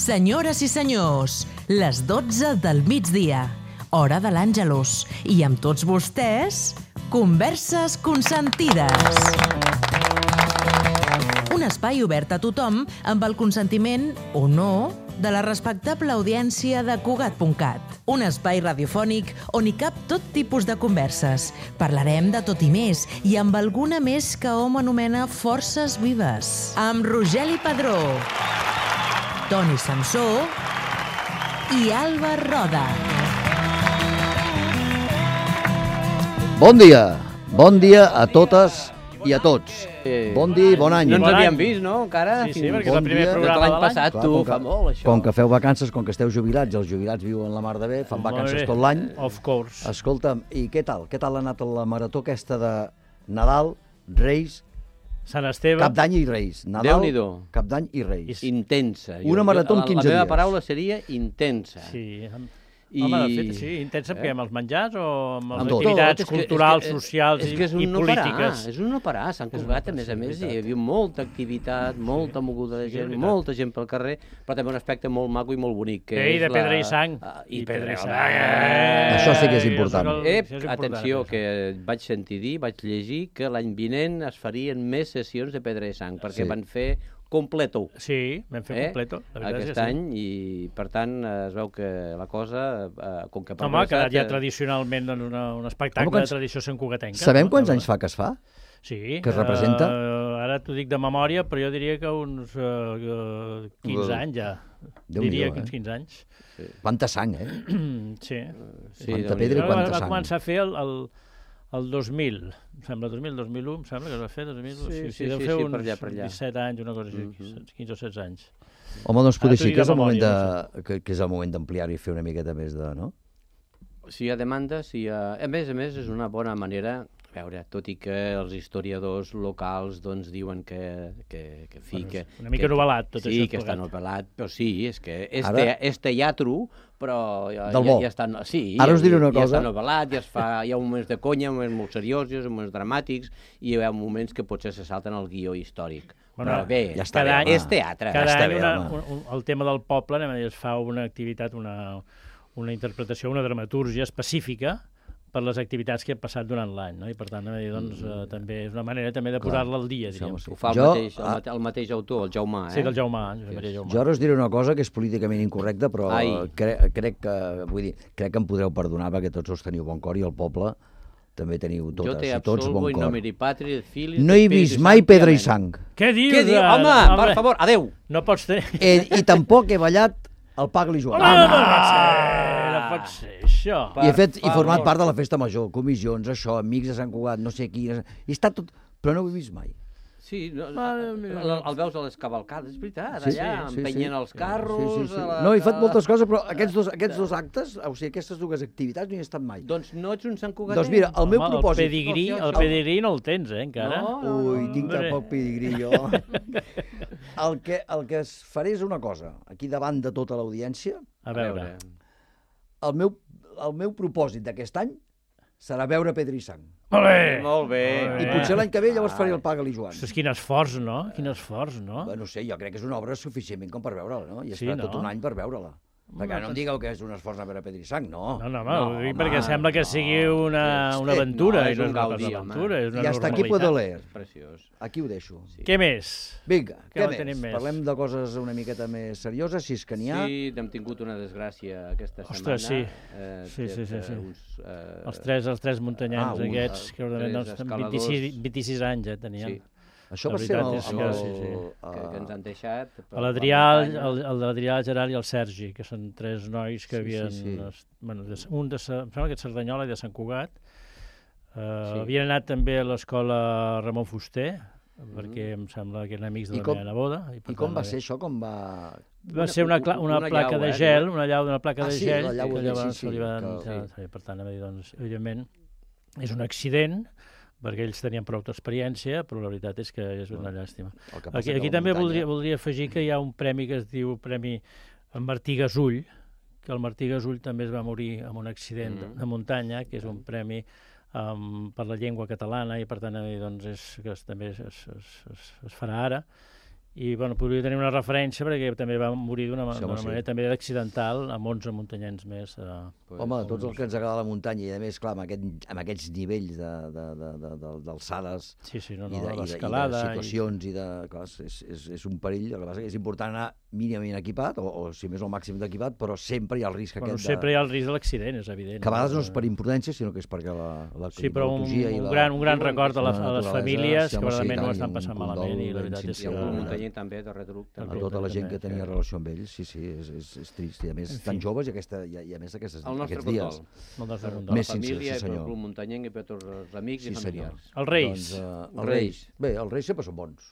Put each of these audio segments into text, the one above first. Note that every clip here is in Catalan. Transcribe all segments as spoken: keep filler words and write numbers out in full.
Senyores i senyors, les dotze del migdia, hora de l'Àngelus, i amb tots vostès, Converses Consentides. Un espai obert a tothom amb el consentiment, o no, de la respectable audiència de Cugat punt cat. Un espai radiofònic on hi cap tot tipus de converses. Parlarem de tot i més, i amb alguna més que hom anomena forces vives. Amb Rogeli Padró, Toni Samsó i Alba Roda. Bon dia, bon dia a totes i a tots. Bon dia i bon any. No ens havíem vist, no, encara? Sí, sí, perquè és el primer programa de l'any passat, tu, fa molt, això. Com que feu vacances, com que esteu jubilats, els jubilats viuen la mar de bé, fan vacances tot l'any. Of course. Escolta'm, i què tal? Què tal ha anat la marató aquesta de Nadal, Reis, Sant Esteve. Cap d'any i Reis? Nadal, Cap d'any i Reis. Intensa. Una marató en quinze dies. La meva paraula seria intensa. Sí. I... Home, de fet, sí, intensa perquè amb els menjars o amb les Amb tot. activitats És que- culturals, és que- socials és que és i, un i no parar, polítiques. és un no parar. Sant Cugat, a més a més, hi havia molta activitat, molta moguda de sí, és gent, veritat. molta gent pel carrer, però també un aspecte molt maco i molt bonic. Que Ei, és de la- pedra i sang. Ah, I I pedra i pedra i sang. sang. Això sí que és important. Això Ep, és important, atenció, això. que vaig sentir dir, vaig llegir que l'any vinent es farien més sessions de pedra i sang, perquè Sí. van fer completo. Sí, vam fer Eh? completo. La veritat és Aquest que sí. any, i per tant es veu que la cosa, eh, com que... ha Home, ha quedat progressat, ja eh, tradicionalment en una, un espectacle Home, quants- de tradició santcugatenca. Sabem no? quants anys fa que es fa? Sí. que es representa? Uh, ara t'ho dic de memòria, però jo diria que uns uh, quinze anys ja. Déu-n'hi-do, diria eh? que uns quinze anys. Quanta sang, eh? Sí. sí, Quanta Déu-n'hi-do. pedra i va, quanta va sang. començar a fer el, el, el dos mil, em sembla, dos mil, dos mil u, em sembla que es va fer, dos mil u, Sí, sí, sí, sí, deu sí, fer sí, uns per allà, per allà. disset anys, una cosa així, Mhm. quinze o setze anys. Home, doncs potser Ara t'ho sí dic que és de el moment memòria, de... que, que és el moment d'ampliar-ho i fer una miqueta més de... no? Si hi ha demanda, si hi ha... A més a més, és una bona manera... A veure, tot i que els historiadors locals doncs, diuen que, que, que, fi, Bueno, que... una mica que, novel·lat, tot sí, això Sí, que està plegat. novel·lat, però sí, és que és, Ara- te, és teatro, però ja, Del ja, bo. ja està... Sí, Ara us diré una ja, cosa. ja està novel·lat, ja es fa, hi ha moments de conya, moments molt seriosos, moments dramàtics, i hi ha moments que potser se salten al guió històric. Bueno, Però bé, ja està cada bé, any, és teatre. Cada està any bé, una, home. un, un, el tema del poble, anem a dir, es fa una activitat, una, una interpretació, una dramatúrgia específica per les activitats que han passat durant l'any, no? I per tant, anem a dir, doncs, eh, també és una manera també de posar-la al dia, diríem. Sí, Ho fa el, Jo, mateix, el, ah, mate, el mateix autor, el Jaumà, eh? Sí, del Jaumà, Josep Maria Jaumà. Jo ara us diré una cosa que és políticament incorrecta, però Ai. cre crec que, vull dir, crec que em podreu perdonar perquè tots us teniu bon cor i el poble també teniu Jo totes te i tots absolvo bon in cor. nomine Patri et Filii No et he Spiritus vist mai Sancti. pedra i Amén. sang. Què dius? Què diu? ara? Home, per favor, adeu! No pots tenir... Eh, I tampoc he ballat el Pagli Joan. Home, no pot ser, no pot ser, això. I he, fet, i Per format favor. part de la festa major, comissions, això, amics de Sant Cugat, no sé qui... I està tot... Però no ho he vist mai. Sí, no, Mare el, meva. el, el veus a les cavalcades, és veritat, Sí, allà, sí, sí, empenyent sí. els carros... Sí, sí, sí. a la- No, he fet moltes coses, però aquests dos, aquests dos actes, o sigui, aquestes dues activitats no hi he estat mai. Doncs no ets un Sant Cugatenc? Doncs mira, el meu Home, propòsit... El pedigrí, No, el sí, pedigrí no el tens, eh, encara. No. Ui, tinc tan Hombre. poc pedigrí, jo. El que, el que es faré és una cosa, aquí davant de tota l'audiència, A veure. el meu, el meu propòsit d'aquest any serà veure Pedra i Sang. Molt bé! Molt bé. I potser l'any que ve llavors faré el Paga-li Joan. Ostres, quin esforç, no? Quin esforç, no? Bé, no sé, jo crec que és una obra suficientment com per veure-la, no? I Sí, esperar no? tot un any per veure-la. Perquè no em digueu que és un esforç a veure Pedra i Sang, no. No, no, home, ho dic home, perquè sembla que sigui una, una Eh, aventura, no, i és no un és una gaudí, cosa home. d'aventura, és una I hasta aquí normalitat. puedo leer. Preciós. Aquí ho deixo. Sí. Què més? Vinga, Què què en més? tenim més? Parlem de coses una miqueta més serioses, si és que n'hi ha. Sí, hem tingut una desgràcia aquesta Ostres, setmana. sí. Eh, Sí, sí, sí, eh, sí. Uns, eh, Els tres, els tres muntanyans Ah, un, aquests, eh, que ordenen, tres doncs, escaladors. vint-i-sis, vint-i-sis anys ja tenien. Sí. Això La va ser amb el... veritat és amb que el- sí, sí. que, que ens han deixat. per A la l'Adrià, muntanya. el, el de l'Adrià, el Gerard i el Sergi, que són tres nois que Sí, havien... sí, sí. es- Bueno, de, un de, Sa- em sembla que de Cerdanyola i de Sant Cugat. Uh, Sí. Havien anat també a l'escola Ramon Fuster, perquè em sembla que eren amics de I la com- meva neboda. I, per I com tant, va eh, ser això? Com va... Va ser una, cla- una, una placa llau, de eh, gel, diuen. una llau d'una placa Ah, de sí, gel, la llau que de- llavors sí, sí, se li van... que- ja, sí, per tant, doncs, evidentment, és un accident, perquè ells tenien prou experiència, però la veritat és que és una llàstima. El que passa Aquí, que aquí la també muntanya- voldria, voldria afegir que hi ha un premi que es diu Premi Martí Gasull, que el Martí Gasull també es va morir en un accident Mm. de muntanya, que és un premi um, per la llengua catalana, i per tant eh, doncs és, que es, també es, es, es, es farà ara, i bueno, podria tenir una referència perquè també va morir d'una Sí, home, sí. manera també accidental amb onze muntanyens més. Eh, Home, tots els que ens agrada la muntanya, i a més, clar, amb, aquest, amb aquests nivells d'alçades de, de, de, de, d'alçades sí, sí, no, i, no, de, i, de, i de l'escalada. situacions, i de, clar, és, és, és un perill. El que passa és que és important anar mínimament equipat, o, o si més el màxim d'equipat, però sempre hi ha el risc Bueno, aquest sempre de... hi ha el risc de l'accident, és evident. Que a vegades no és per imprudència, sinó que és perquè la, la Sí, però un, climatologia i un, la... gran, un gran diuen record a, la, la a les naturalesa, famílies sí, que home, sí, realment tant, ho i estan un passant condol malament i la ben veritat és sincer, I que... el sí, muntanyenc també de retruc. A També. tota la gent també, que tenia que- relació amb ells, sí, sí, és, és, és trist. I a més, En fi. tan joves i, aquesta, i, a- i a més aquestes, El nostre aquests dies. condol. Molt de Per condol. Més la sincer, família, sí, i pel senyor. Club Muntanyenc i per tots els amics Sí, i senyor. familiars. Els Reis. Doncs, uh, els Els Reis. Bé, els Reis sempre són bons.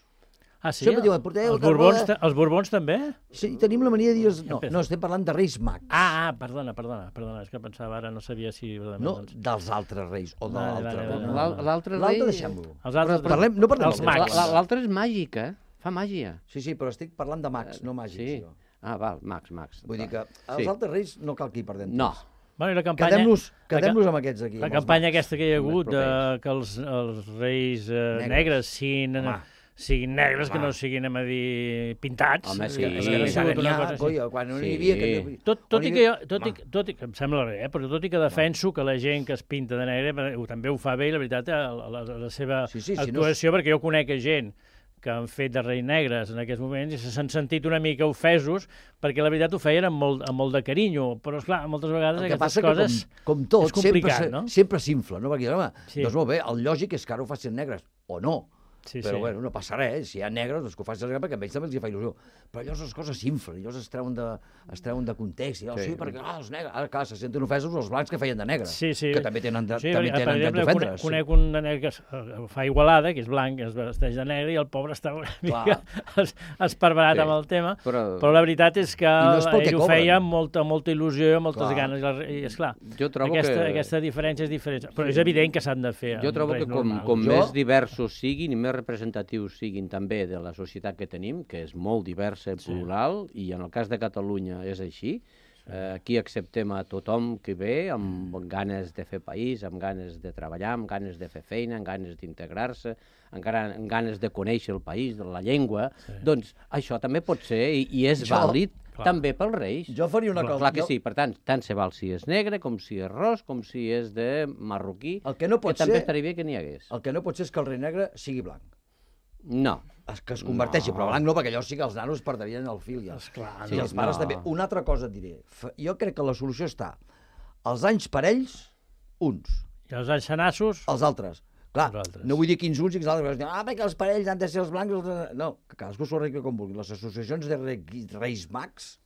Ah, sí? Sempre diuen, porteu els, Borbons, carboda. ta- els Borbons també? Sí, tenim la mania de dir... No, Empeza. no, estem parlant de Reis Mags. Ah, ah, perdona, perdona, perdona, és que pensava ara, no sabia si... verdaderament, No doncs... dels altres Reis, o de Vale, l'altre. vale, no, vale, no. vale. L'al- L'altre rei... L'altre deixem-lo. Els altres... Parlem, no parlem Els del mags. La- L'altre és màgic, eh? Fa màgia. Sí, sí, però estic parlant de mags, no màgics. Sí. Jo. Ah, val, Max, Max. Vull dir que els Sí. altres Reis no cal que hi perdem No. temps. Bueno, i la campanya... Quedem-nos la ca- quedem amb aquests aquí. La amb els campanya mags. aquesta que hi ha Més hagut, de, propers. que els, els reis eh, Negres. negres siguin, Home. siguin negres, que Home. no siguin, anem a dir, pintats. Home, és sí. que- és Sí, que ha sí, sigut N'hi una ha, cosa així. coi, quan no Sí. n'hi havia... Que... Tot, tot, on hi i que jo, havia- tot, i, Home. tot i que em sembla bé, eh? però tot i que defenso que la gent que es pinta de negre eh, ho- també ho fa bé, i la veritat, eh, la, la, la seva Sí, sí, si no actuació, perquè jo conec gent que han fet de reis negres en aquests moments i s'han sentit una mica ofesos perquè la veritat ho feien amb molt, amb molt de carinyo, però esclar, moltes vegades El que aquestes passa coses... que, com, com tot, és complicat, sempre, no? se- sempre s'infla, no? Perquè, home, Sí. doncs molt bé, el lògic és que ara ho facin negres, o no. Sí, però sí. bueno, no passa res, si hi ha negres, doncs que ho facin negres perquè a ells també els hi fa il·lusió. Però llavors les coses s'inflen, llavors es treuen de, es treuen de context, i oh, sí. Sí. perquè ah, els negres, ara clar, se senten ofesos els blancs que feien de negre, Sí, sí. que també tenen, de, Sí, també per tenen dret exemple, d'ofendre. conec, conec un de negre que es, eh, fa Igualada, que és blanc, que es vesteix de negre, i el pobre està una mica es, esparverat Sí. amb el tema, Però, però la veritat és que no és pel que ell ho cobren. feia amb molta, molta il·lusió i amb moltes Clar. ganes, i, la, i esclar, jo trobo aquesta, que... aquesta diferència és diferent, però és evident que s'han de fer. Jo amb trobo res que com, normal. com Jo- més diversos siguin i més representatius siguin també de la societat que tenim, que és molt diversa i plural, i en el cas de Catalunya és així, eh, aquí acceptem a tothom que ve amb ganes de fer país, amb ganes de treballar, amb ganes de fer feina, amb ganes d'integrar-se, amb, gra- amb ganes de conèixer el país, de la llengua, doncs això també pot ser i, i és Jo- vàlid Clar. també pels Reis. Jo faria una Clar, cosa... clar que jo- sí, per tant, tant se val si és negre, com si és ros, com si és de marroquí, El que no pot que també ser- estaria bé que n'hi hagués. El que no pot ser és que el rei negre sigui blanc. No. Es- Que es converteixi, No. però blanc no, perquè llavors sí que els nanos perdrien el fil ja. Esclar, I no. els pares No. també. Una altra cosa et diré. Fa- Jo crec que la solució està als anys parells, uns, I els enxanassos, els altres. Clar, Els altres. no vull dir quins uns i quins altres, perquè ah, perquè els parells han de ser els blancs... Els... No, que cadascú s'ho arregli com vulgui. Les associacions de re... Reis Mags,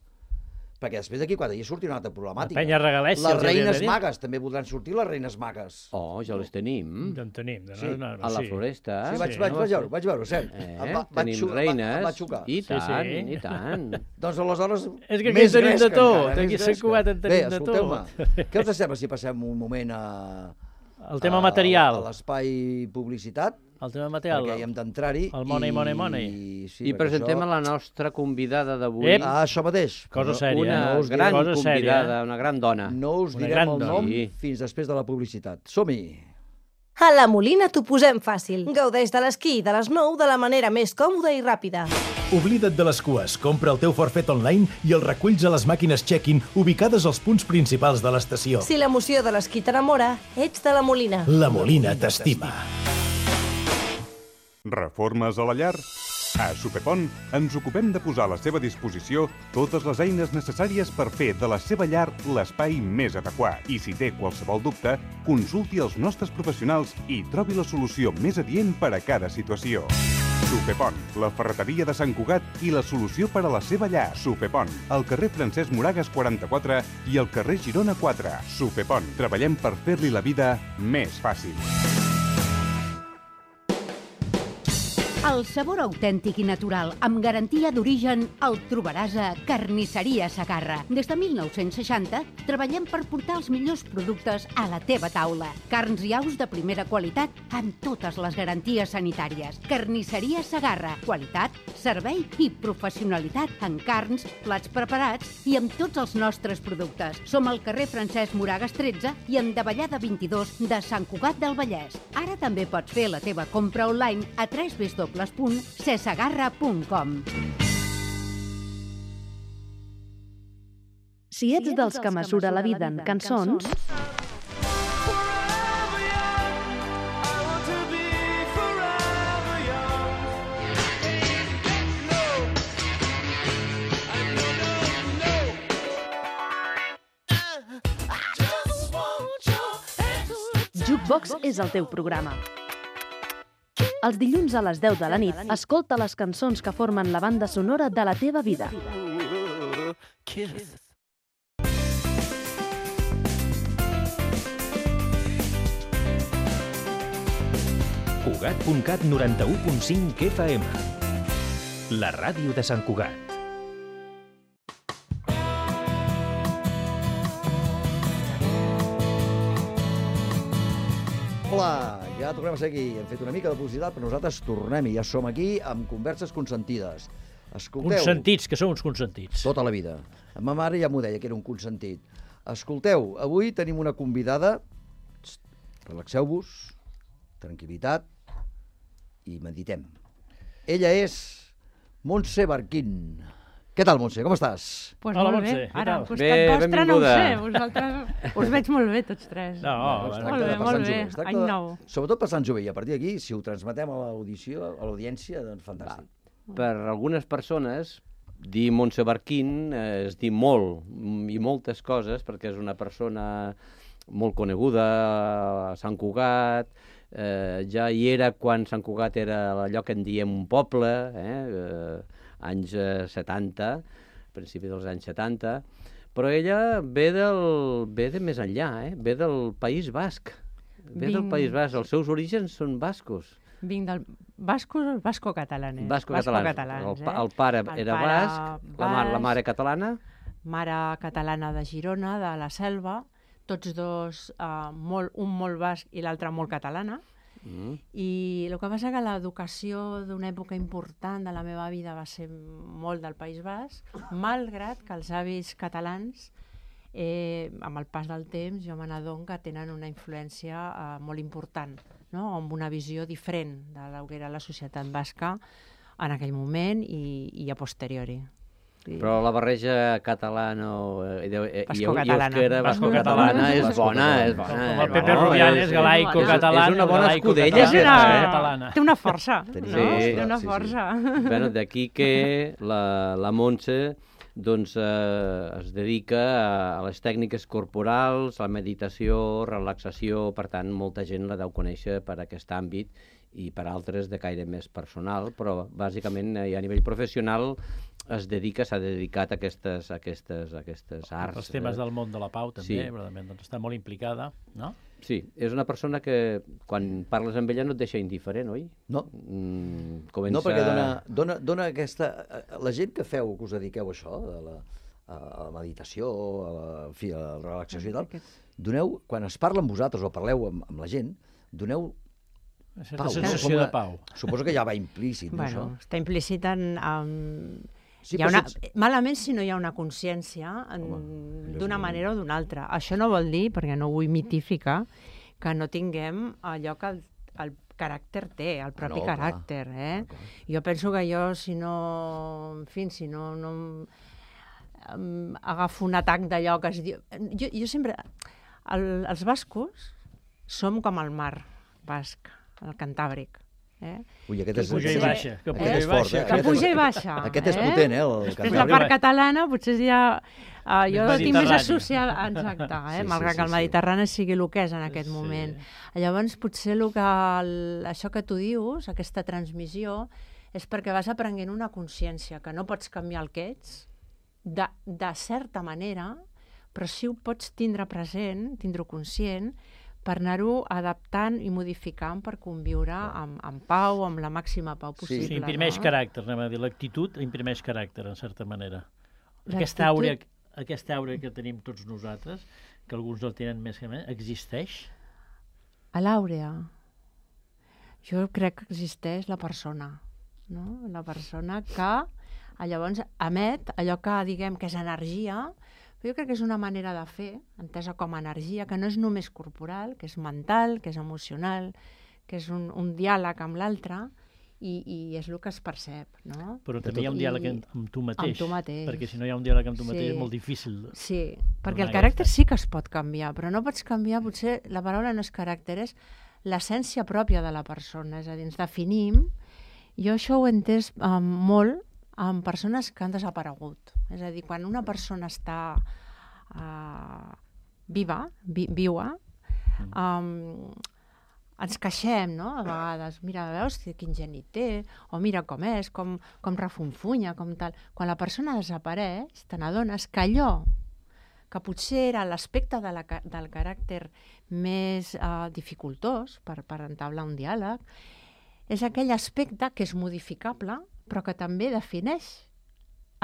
perquè després d'aquí, quan hi surti una altra problemàtica. La penya regalèssia, Les els hauria de reines dir. magues, també voldran sortir les reines magues. Oh, ja les tenim. ja en tenim. De, Sí, no, no, A la sí. floresta. Sí, vaig, sí, vaig, no vaig, va veure, vaig veure, cert. Eh? Em va- vaig Tenim xu- em va- reines, em va xocar. i Sí, tant, sí. i tant. Doncs aleshores... És que aquí més en tenim de gresca tot, encara, aquí més a Sant gresca. Cugat en tenim Bé, de escolteu-me, què us sembla si passem un moment a... El tema a- material. A l'espai publicitat, El tema material. perquè hi hem d'entrar-hi. El money, i- money, money. Sí, I perquè presentem això... a la nostra convidada d'avui, Ep. Ah, això mateix. Cosa No- sèria, una no us diré gran cosa sèria, convidada, una gran dona. No us Una direm gran el dona. nom Sí. fins després de la publicitat. Som-hi! A la Molina t'ho posem fàcil. Gaudeix de l'esquí de les nou de la manera més còmoda i ràpida. Oblida't de les cues, compra el teu forfet online i el reculls a les màquines check-in ubicades als punts principals de l'estació. Si l'emoció de l'esquí t'enamora, ets de la Molina. La Molina t'estima. Reformes a la llar? A Supepont ens ocupem de posar a la seva disposició totes les eines necessàries per fer de la seva llar l'espai més adequat. I si té qualsevol dubte, consulti els nostres professionals i trobi la solució més adient per a cada situació. Supepont, la ferreteria de Sant Cugat i la solució per a la seva llar. Supepont, al carrer Francesc Moragas quaranta-quatre i al carrer Girona quatre. Supepont, treballem per fer-li la vida més fàcil. El sabor autèntic i natural, amb garantia d'origen, el trobaràs a Carnisseria Segarra. Des de mil nou-cents seixanta treballem per portar els millors productes a la teva taula. Carns i aus de primera qualitat amb totes les garanties sanitàries. Carnisseria Segarra. Qualitat, servei i professionalitat en carns, plats preparats i amb tots els nostres productes. Som al carrer Francesc Moragas tretze i en Davallada vint-i-dos de Sant Cugat del Vallès. Ara també pots fer la teva compra online a w w w doble punt cesagarra punt com. Si ets dels que mesura la vida en cançons, Jukebox és el teu programa. Els dilluns a les deu de la nit, escolta les cançons que formen la banda sonora de la teva vida. Cugat punt cat noranta-u punt cinc F M. La ràdio de Sant Cugat. Hola, ja tornem a ser aquí. Hem fet una mica de publicitat, però nosaltres tornem i ja som aquí amb converses consentides. Escolteu... Consentits, que som uns consentits. Tota la vida. Ma mare ja m'ho deia, que era un consentit. Escolteu, avui tenim una convidada. Relaxeu-vos, tranquil·litat i meditem. Ella és Montse Barquín. Què tal, Montse? Com estàs? Pues Hola, molt Montse, bé. què Ara, tal? al costat Bé, vostre no ho benvinguda. sé. Vosaltres us veig molt bé, tots tres. No, Es bueno, tracta molt de bé, passar molt en bé. jove. Es tracta Any de- nou. Sobretot passar en jove. I a partir d'aquí, si ho transmetem a l'audició, a l'audiència, doncs fantàstic. Per algunes persones, dir Montse Barquín eh, és dir molt mm, i moltes coses, perquè és una persona molt coneguda a Sant Cugat, eh, ja hi era quan Sant Cugat era allò que en diem un poble, eh, eh, anys eh, setanta, principi dels anys setanta, però ella ve, del, ve de més enllà, eh? Ve del País Basc. Ve del Vinc- País Basc. Els seus orígens són bascos. Vinc del bascos o basco-catalanes? Basco-catalans. Basco-catalans, El, pa- el pare El era pare basc, la, ma la mare catalana. Mare catalana de Girona, de la Selva, tots dos, uh, molt, un molt basc i l'altre molt catalana. Mm. I el que passa que l'educació d'una època important de la meva vida va ser molt del País Basc, malgrat que els avis catalans, eh, amb el pas del temps, jo me n'adono que tenen una influència eh, molt important, no? Amb una visió diferent de la que era la societat basca en aquell moment i, i a posteriori. Sí. Però la barreja catalana o, eh, i, i, i Basco-catalana. euskera, basco-catalana, és bona, és bona. Com és el Pepe bona, Rubianes, és- galaico, és- català, És una bona galaico, escudella, És català, una... aquesta, catalana. Té una força, Tenim no? Sí. Té una Sí, sí. força. eh? Bueno, d'aquí que la, la Montse doncs, eh, es dedica a, a les tècniques corporals, a la meditació, relaxació, per tant, molta gent la deu conèixer per aquest àmbit i per altres de caire més personal, però bàsicament eh, a nivell professional es dedica, s'ha dedicat a aquestes, a aquestes, a aquestes arts. Els temes eh? del món de la pau, també, Sí. verdament, doncs està molt implicada, no? Sí, és una persona que quan parles amb ella no et deixa indiferent, oi? No. Mm, comença... No, perquè dona, dona, dona aquesta... La gent que feu, que us dediqueu a això, a la, a la meditació, a la, en fi, a la relaxació i tal, doneu, quan es parla amb vosaltres o parleu amb, amb la gent, doneu Una certa pau. sensació Com de una- pau. Suposo que ja va implícit, no, Bueno, això? està implícit en... en... Sí, hi ha però una, sense- malament si no hi ha una consciència en- Home, d'una és- manera o d'una altra. Això no vol dir, perquè no vull mitificar, que no tinguem allò que el, el caràcter té, el propi no, clar. caràcter. Eh? Jo penso que jo, si no... En fi, si no... no em, agafo un atac d'allò que es diu... Jo, jo sempre... El, els bascos som com el mar basc, el Cantàbric. Eh? Ui, aquest Que és... puja i aquest- baixa, que aquest puja és i fort, baixa. eh? Que Aquest és- puja i baixa. Aquest és eh? potent, eh? El Després Cantàbric. la part catalana potser ja... Uh, jo Més tinc més mediterrània. associada... Exacte, eh? Sí, sí, malgrat sí, que el sí. Mediterrani sigui el que és en aquest Sí. moment. Llavors, potser el que, el, això que tu dius, aquesta transmissió, és perquè vas aprenent una consciència, que no pots canviar el que ets, de, de certa manera, però sí ho pots tindre present, tindre-ho conscient, per anar-ho adaptant i modificant per conviure amb, amb pau, amb la màxima pau possible. Sí, imprimeix no? caràcter, anem a dir. L'actitud imprimeix caràcter, en certa manera. Aquesta L'actitud- àurea, aquesta àurea que tenim tots nosaltres, que alguns el tenen més que més, existeix? A l'àurea, jo crec que existeix la persona, no? La persona que eh, llavors emet allò que diguem que és energia, però jo crec que és una manera de fer, entesa com a energia, que no és només corporal, que és mental, que és emocional, que és un, un diàleg amb l'altre, i, i és el que es percep, no? Però també hi ha un diàleg I... amb tu mateix. Amb tu mateix. Perquè si no hi ha un diàleg amb tu mateix sí. és molt difícil. Sí, perquè el caràcter sí que es pot canviar, però no pots canviar, potser la paraula no és caràcter, és l'essència pròpia de la persona, és a dir, ens definim. Jo això ho he entès um, molt amb persones que han desaparegut. És a dir, quan una persona està uh, viva, vi, viua, um, ens queixem, no?, a vegades, mira, veus quin geni té, o mira com és, com, com refunfunya, com tal. Quan la persona desapareix, te n'adones que allò que potser era l'aspecte de la, del caràcter més uh, dificultós per, per entablar un diàleg, és aquell aspecte que és modificable, però que també defineix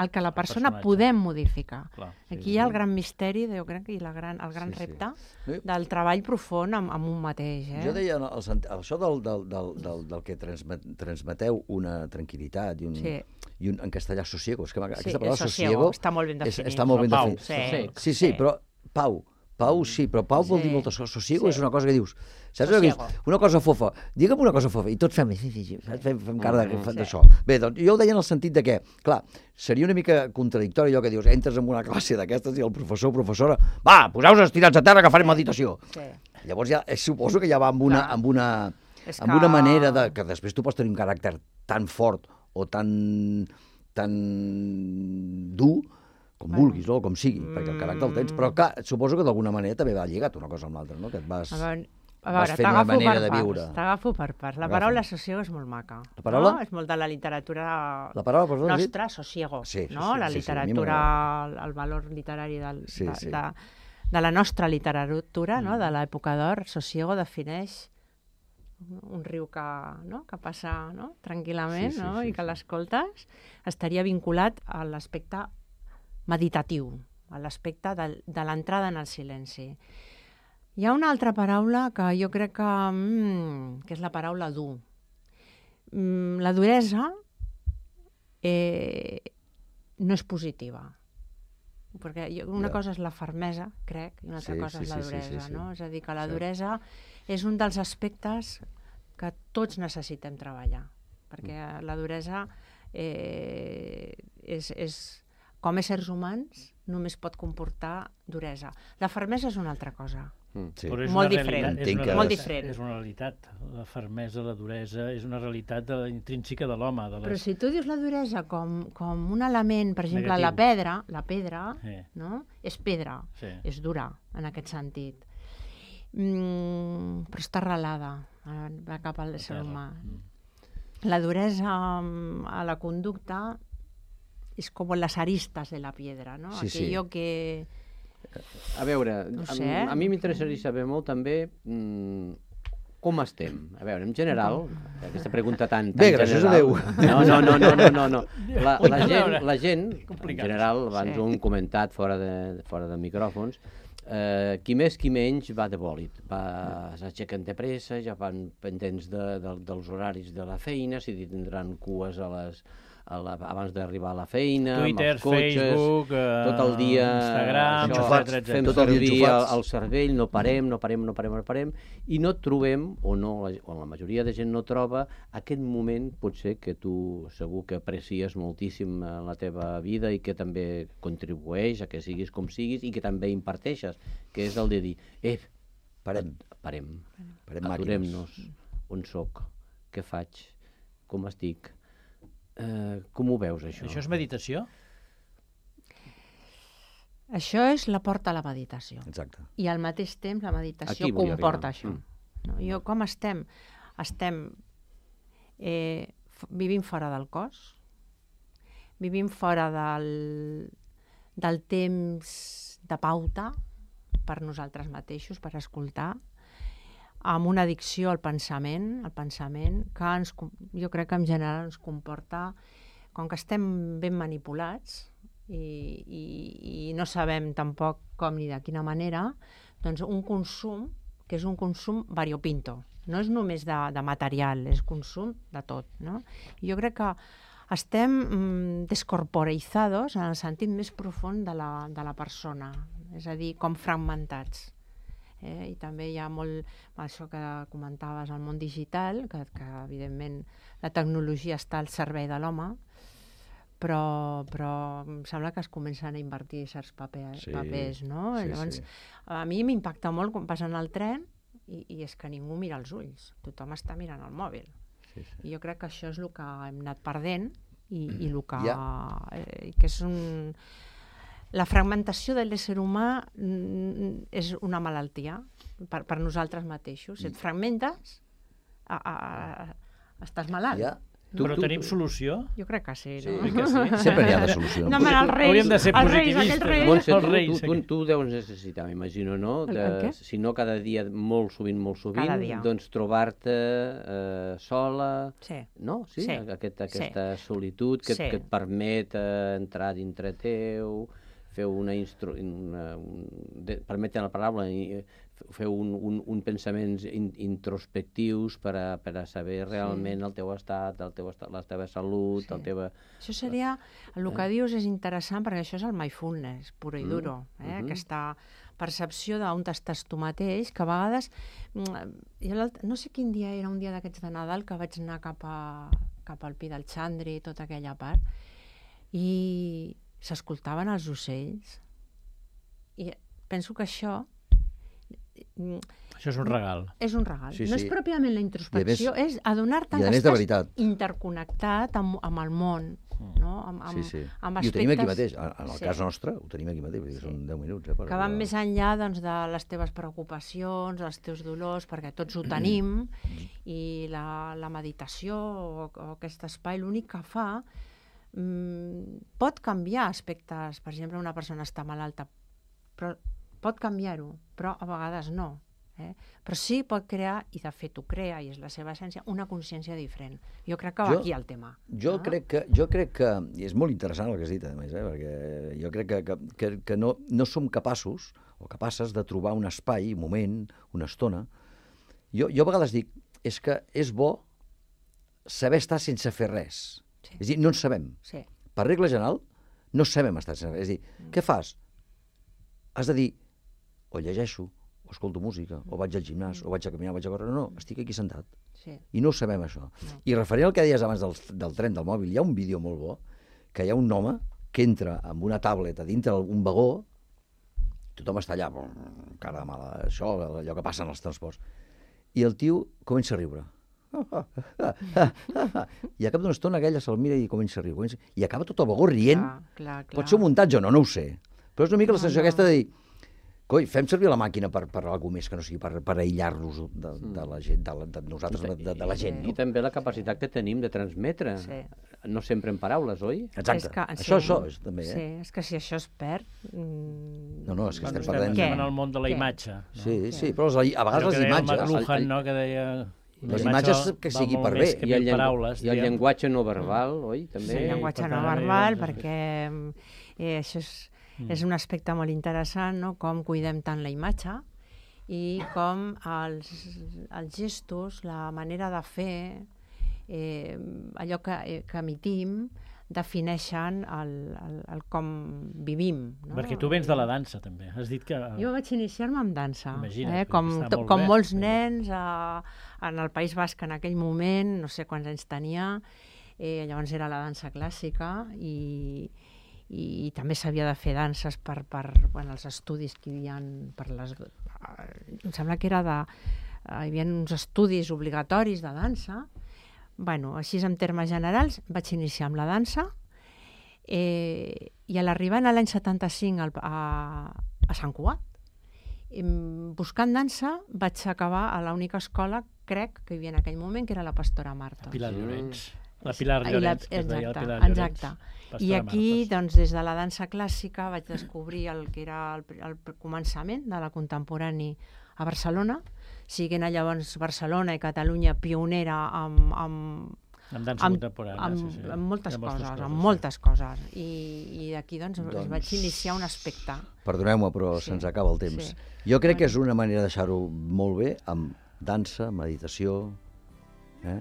el que la persona Personatge. Podem modificar. Clar, sí, Aquí hi ha el gran misteri, jo crec, i la gran, el gran sí, repte sí. del treball profund amb, amb un mateix. Eh? Jo deia, el, això del, del, del, del, del que transmet, transmeteu una tranquil·litat i un, sí. i un en castellà sosiego. És que aquesta sí, paraula sosiego, sosiego està molt ben definit. És, està molt ben Pau, definit. Sí, sí, sí, sí, però Pau, Pau sí, però Pau vol sí. dir moltes coses. Sosiego sí. és una cosa que dius, saps? Sosiego. Una cosa fofa. Digue'm una cosa fofa. I tots fem, fem, fem cara d'això. Sí. Bé, doncs jo ho deia en el sentit de que, clar, seria una mica contradictori allò que dius, entres en una classe d'aquestes i el professor o professora, va, poseu-vos estirats a terra que farem meditació. Sí. Llavors ja, suposo que ja va amb una, amb una, amb que... una manera de, que després tu pots tenir un caràcter tan fort o tan, tan dur com bueno. vulguis, o com sigui, mm. perquè el caràcter el tens, però clar, suposo que d'alguna manera també va lligat una cosa amb l'altra, no? Que et vas, a veure, a vas veure, fent una manera de viure. T'agafo per parts. La paraula sosiego és molt maca. La paraula? No? És molt de la literatura la paraula, perdó, nostra, sosiego. Sí, no? sí, la sí, literatura, sí, el valor literari del, sí, de, sí. de, de la nostra literatura, mm. no? De l'època d'or, sosiego defineix un riu que, no? que passa no? tranquil·lament sí, sí, no? sí, i que sí. l'escoltes, estaria vinculat a l'aspecte meditatiu, a l'aspecte de, de l'entrada en el silenci. Hi ha una altra paraula que jo crec que, mm, que és la paraula dur. Mm, la duresa eh, no és positiva. Perquè una ja. cosa és la fermesa, crec, i una altra sí, cosa sí, és la sí, duresa. sí, sí, sí. No? És a dir, que la sí. duresa és un dels aspectes que tots necessitem treballar. Perquè mm. la duresa eh, és... és com a éssers humans, només pot comportar duresa. La fermesa és una altra cosa. Mm, sí. Molt diferent. És una, molt diferent. És una realitat. La fermesa, la duresa, és una realitat de, intrínseca de l'home. Les... Però si tu dius la duresa com, com un element, per exemple, negatiu. la pedra, la pedra sí. no? és pedra, sí. és dura, en aquest sentit. Mm, però està arrelada, va cap al ésser humà. Mm. La duresa a la conducta és com les aristes de la piedra, no? Sí, Aquello sí. que... A veure, no a, sé. a mi m'interessaria saber molt també mmm, com estem. A veure, en general, aquesta pregunta tan, tan Bé, gràcies general... a Déu. No, no, no, no, no, no, no. La, la, gent, la gent, en general, abans sí. ho hem comentat fora de, fora de micròfons, eh, qui més qui menys va de bòlit. Va, s'aixequen de pressa, ja van pendents de, de, dels horaris de la feina, si tindran cues a les... A la, abans d'arribar a la feina, Twitter, amb els cotxes, Facebook, uh, tot el dia Instagram, això, etcètera, fem tot el dia servir el, enxufats. el cervell, no parem, no parem, no parem, no parem, i no trobem, o no, o la majoria de gent no troba, aquest moment potser que tu segur que aprecies moltíssim en la teva vida i que també contribueix a que siguis com siguis i que també imparteixes, que és el de dir, eh, parem, parem, parem aturem-nos, on soc, què faig, com estic, Uh, com ho veus, això? Això és meditació? Això és la porta a la meditació. Exacte. I al mateix temps la meditació comporta això. Mm. No? Jo, com estem? Estem eh, vivint fora del cos, vivim fora del, del temps de pauta per nosaltres mateixos, per escoltar, amb una addicció al pensament, al pensament que ens, jo crec que en general ens comporta, com que estem ben manipulats i, i, i no sabem tampoc com ni de quina manera, doncs un consum que és un consum variopinto. No és només de, de material, és consum de tot. No? I jo crec que estem mm, descorporeizados en el sentit més profund de la, de la persona, és a dir, com fragmentats. Eh? I també hi ha molt, això que comentaves, el món digital, que, que evidentment la tecnologia està al servei de l'home, però, però em sembla que es comencen a invertir certs paper, Sí, papers, no? sí, Llavors, sí. a mi m'impacta molt quan passen el tren i, i és que ningú mira els ulls, tothom està mirant el mòbil. Sí, sí. I jo crec que això és el que hem anat perdent i, i el que, Ja. eh, que és un... La fragmentació de l'ésser humà mm, és una malaltia per, per nosaltres mateixos. Si et fragmentes, a, a, a, estàs malalt. Ja. Tu, Però tu, tenim solució? Jo crec que sí, Sí, no? que sí. Sempre hi ha de solució. No, home, els reis, Hauríem de ser els reis, positivistes. aquells reis. Montse, Els tu, reis, tu, tu, tu deus necessitar, m'imagino, no? El- De, el què? si no cada dia, molt sovint, molt sovint, Cada dia. doncs trobar-te eh, sola, Sí. no? Sí, Sí. Aquest, Sí. aquesta solitud que, Sí. que et permet eh, entrar dintre teu, fer una, instru... una un... de... permeten la paraula, i, eh, fer un, un, un pensaments in, introspectius per a, per a saber realment el teu estat, el teu estat, la teva salut, Sí. el teva... Això seria, el que dius és interessant perquè això és el mindfulness, puro i Mm. duro, eh? Mhm. Aquesta percepció d'on estàs tu mateix, que a vegades, mm, jo l'alt- no sé quin dia era, un dia d'aquests de Nadal, que vaig anar cap, a, cap al Pi del Xandri, tota aquella part, i s'escoltaven els ocells, i penso que això mm, Això és un regal. és un regal. Sí, No sí. és pròpiament la introspecció, I a més- és adonar-te i a que més de estàs veritat. interconnectat amb, amb el món, no? Amb, amb, Sí, sí. amb I ho tenim aquí aspectes- mateix. En en el Sí. cas nostre, ho tenim aquí mateix, perquè Sí. són deu minuts. Eh, per que van arribar. més enllà doncs, de les teves preocupacions, els teus dolors, perquè tots ho tenim, i la, la meditació o, o aquest espai l'únic que fa mm, pot canviar aspectes. Per exemple, una persona està malalta, però pot canviar-ho, però a vegades no. Eh? Però sí pot crear, i de fet ho crea, i és la seva essència, una consciència diferent. Jo crec que va Jo- aquí el tema. Jo, no? crec que, jo crec que, i és molt interessant el que has dit, a més, eh, perquè jo crec que, que, que, que no, no som capaços o capaces de trobar un espai, un moment, una estona. Jo, jo a vegades dic, és que és bo saber estar sense fer res. Sí. És a dir, no en sabem. Sí. Per regla general, no sabem estar sense res. És a dir, Mm. què fas? Has de dir, o llegeixo, o escolto música, o vaig al gimnàs, o vaig a caminar, o vaig a córrer. No, no, estic aquí sentat. Sí. I no ho sabem, això. I referent al que deies abans del, del tren, del mòbil, hi ha un vídeo molt bo, que hi ha un home que entra amb una tablet a dintre un vagó, tothom està allà, brrr, cara de mala, això, allò que passa en els transports, i el tio comença a riure. I a cap d'una estona aquella se'l mira i comença a riure. Comença... I acaba tot el vagó rient. Clar, clar, clar. Pot ser un muntatge o no, no ho sé. Però és una mica la No, sensació no. aquesta de dir, coi, fem servir la màquina per, per alguna més que no sigui per, per aïllar-nos de, de la gent, de, la, de nosaltres, de, de la gent. I No? també la capacitat que tenim de transmetre, Sí. no sempre en paraules, oi? Exacte. És que, Això, això, és, també, sí, eh? és que si això es perd... Mm, No, no, és que Bueno, estem estem, perdent... estem en el món de la Què? imatge. No? Sí, sí, però les, a vegades Allò que les deia el imatges... McLuhan, no?, que deia... la les imatge imatges val- que val sigui molt per més bé. que I el, mil llengu... paraules, I el diguem. llenguatge no verbal, oi? També. Sí, el llenguatge per no tant, verbal, doncs, perquè eh, això és, Mm. és un aspecte molt interessant, no? Com cuidem tant la imatge i com els, els gestos, la manera de fer, eh, allò que, eh, que emitim, defineixen el, el, el com vivim. No? Perquè tu vens de la dansa, també. Has dit que... Jo vaig iniciar-me amb dansa, Imagina't, eh? que com, està to- molt com bé. molts nens a, en el País Basc en aquell moment, no sé quants anys tenia, eh, llavors era la dansa clàssica i, i, i també s'havia de fer danses per, per bueno, els estudis que hi havia per les... Em sembla que era de... Hi havia uns estudis obligatoris de dansa. Bueno, així en termes generals vaig iniciar amb la dansa eh, i a l'arribar a l'any setanta-cinc al, a, a Sant Cugat, em, buscant dansa vaig acabar a l'única escola, crec, que hi havia en aquell moment, que era la Pastora Marta. Pilar Llorenç. La Pilar I la- Llorenç, que es deia la exacte, Pilar Llorenç. exacte. Pastora I aquí, Martes. doncs, des de la dansa clàssica vaig descobrir el que era el, el començament de la contemporani a Barcelona, siguent llavors Barcelona i Catalunya pionera amb, amb, Amb dansa contemporània, amb, sí, sí. amb moltes Hi ha coses, moltes coses, amb sí. moltes coses. I, i d'aquí, doncs, Doncs- doncs, vaig iniciar un aspecte. Perdoneu-me, però Sí. se'ns acaba el temps. Sí. Jo crec que és una manera de deixar-ho molt bé amb dansa, meditació... Eh?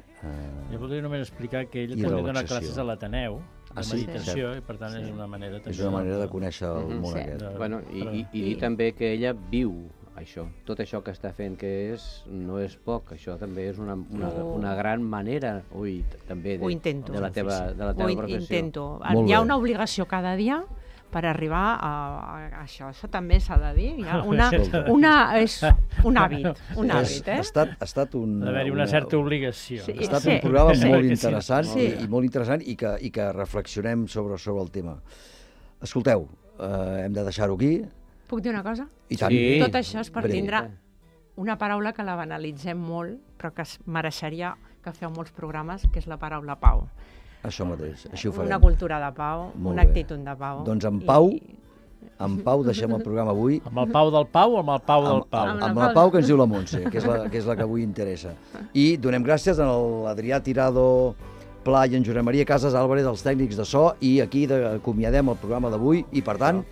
Jo voldria només explicar que ell I també dona relaxació. classes a l'Ateneu de Ah, sí? meditació Cert. i per tant és una manera també És una manera de conèixer el Mhm. món Sí. aquest. de- Bueno, i, però- i, i dir també que ella viu això, tot això que està fent, que és, no és poc, això també és una, una, una gran manera, ui, també de, Ho intento. de la teva, de la teva Ho professió. intento. Molt Hi ha bé. una obligació cada dia per arribar a, a això. Això també s'ha de dir. Hi ha una, una, és un hàbit, un hàbit, eh? Ha estat, ha estat un... Ha d'haver-hi una certa obligació. Sí. Ha estat Sí. un programa Sí. molt Sí. interessant Sí. i, i molt interessant i que, i que reflexionem sobre, sobre el tema. Escolteu, eh, hem de deixar-ho aquí. Puc dir una cosa? I tant. Sí. Tot això és per Breu. tindre una paraula que la banalitzem molt, però que es mereixeria que feu molts programes, que és la paraula pau. Això mateix, així ho farem. Una cultura de pau, Molt una bé. actitud de pau. Doncs en I- Pau, en Pau deixem el programa avui. Amb el Pau del Pau o amb el Pau del Amb, Pau? amb, amb la Pau que ens diu la Montse, que és la que, és la que avui interessa. I donem gràcies a l'Adrià Tirado Pla i en Josep Maria Casas Álvarez, els tècnics de so, i aquí de- acomiadem el programa d'avui i, per tant,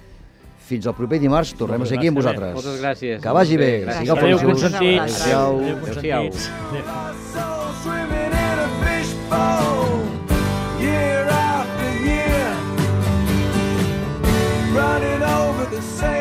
fins al proper dimarts tornem a ser aquí amb vosaltres. Moltes gràcies. Que vagi bé. Gràcies. Sigueu Adéu, feliços. consentits. Adéu. Adéu, Adéu-siau. consentits. Adéu. Swimming in a fishbowl, year after year, running over the same